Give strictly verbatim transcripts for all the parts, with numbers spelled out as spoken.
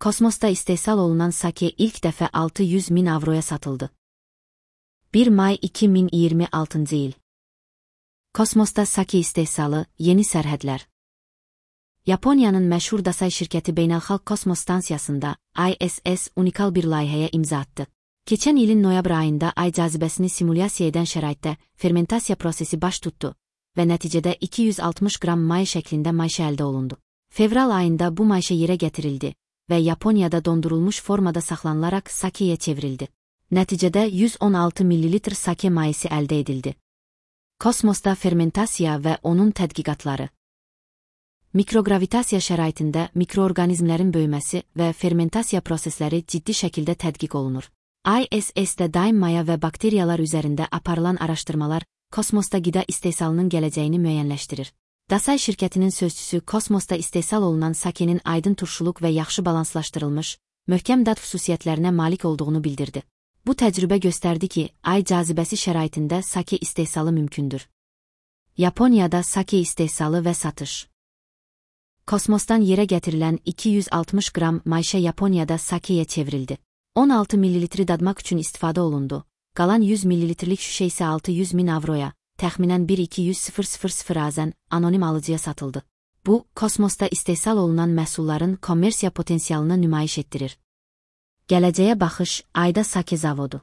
Kosmosda istehsal olunan sake ilk dəfə altı yüz min avroya satıldı. bir may iki min iyirmi altıncı il. Kosmosda sake istehsalı, yeni sərhədlər. Yaponiyanın məşhur Dasai şirkəti Beynəlxalq Kosmos Stansiyasında I S S unikal bir layihəyə imza atdı. Keçən ilin noyabr ayında ay cazibəsini simulyasiya edən şəraitdə fermentasiya prosesi baş tutdu və nəticədə iki yüz altmış qram may şəklində mayşə əldə olundu. Fevral ayında bu mayşə yerə gətirildi və Yaponiyada dondurulmuş formada saxlanılaraq sakeyə çevrildi. Nəticədə yüz on altı millilitr sake mayısı əldə edildi. Kosmosda fermentasiya və onun tədqiqatları. Mikrogravitasiya şəraitində mikroorqanizmlərin böyüməsi və fermentasiya prosesləri ciddi şəkildə tədqiq olunur. I S S-də daim maya və bakteriyalar üzərində aparılan araşdırmalar kosmosda qida istehsalının gələcəyini müəyyənləşdirir. Dasai şirkətinin sözçüsü kosmosda istehsal olunan sakenin aydın turşuluq və yaxşı balanslaşdırılmış, möhkəm dad xüsusiyyətlərinə malik olduğunu bildirdi. Bu təcrübə göstərdi ki, ay cazibəsi şəraitində sake istehsalı mümkündür. Yaponiyada sake istehsalı və satış. Kosmosdan yerə gətirilən iki yüz altmış qram mayşə Yaponiyada sakeyə çevrildi. on altı millilitri dadmaq üçün istifadə olundu. Qalan yüz millilitrlik şüşə isə altı yüz min avroya, təxminən bir iki yüz min azən anonim alıcıya satıldı. Bu, kosmosda istehsal olunan məhsulların kommersiya potensialını nümayiş etdirir. Gələcəyə baxış, ayda sake zavodu.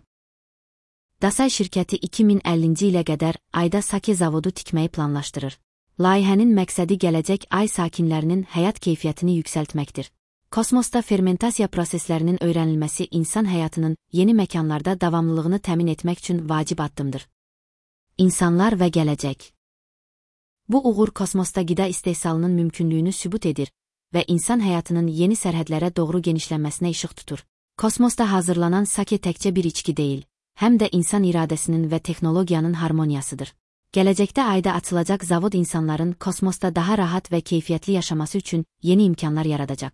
Dasai şirkəti iki min əllinci ilə qədər ayda sake zavodu tikməyi planlaşdırır. Layihənin məqsədi gələcək ay sakinlərinin həyat keyfiyyətini yüksəltməkdir. Kosmosda fermentasiya proseslərinin öyrənilməsi insan həyatının yeni məkanlarda davamlılığını təmin etmək üçün vacib addımdır. İnsanlar və gələcək. Bu uğur kosmosda qida istehsalının mümkünlüyünü sübut edir və insan həyatının yeni sərhədlərə doğru genişlənməsinə işıq tutur. Kosmosda hazırlanan sake təkcə bir içki deyil, həm də insan iradəsinin və texnologiyanın harmoniyasıdır. Gələcəkdə ayda açılacaq zavod insanların kosmosda daha rahat və keyfiyyətli yaşaması üçün yeni imkanlar yaradacaq.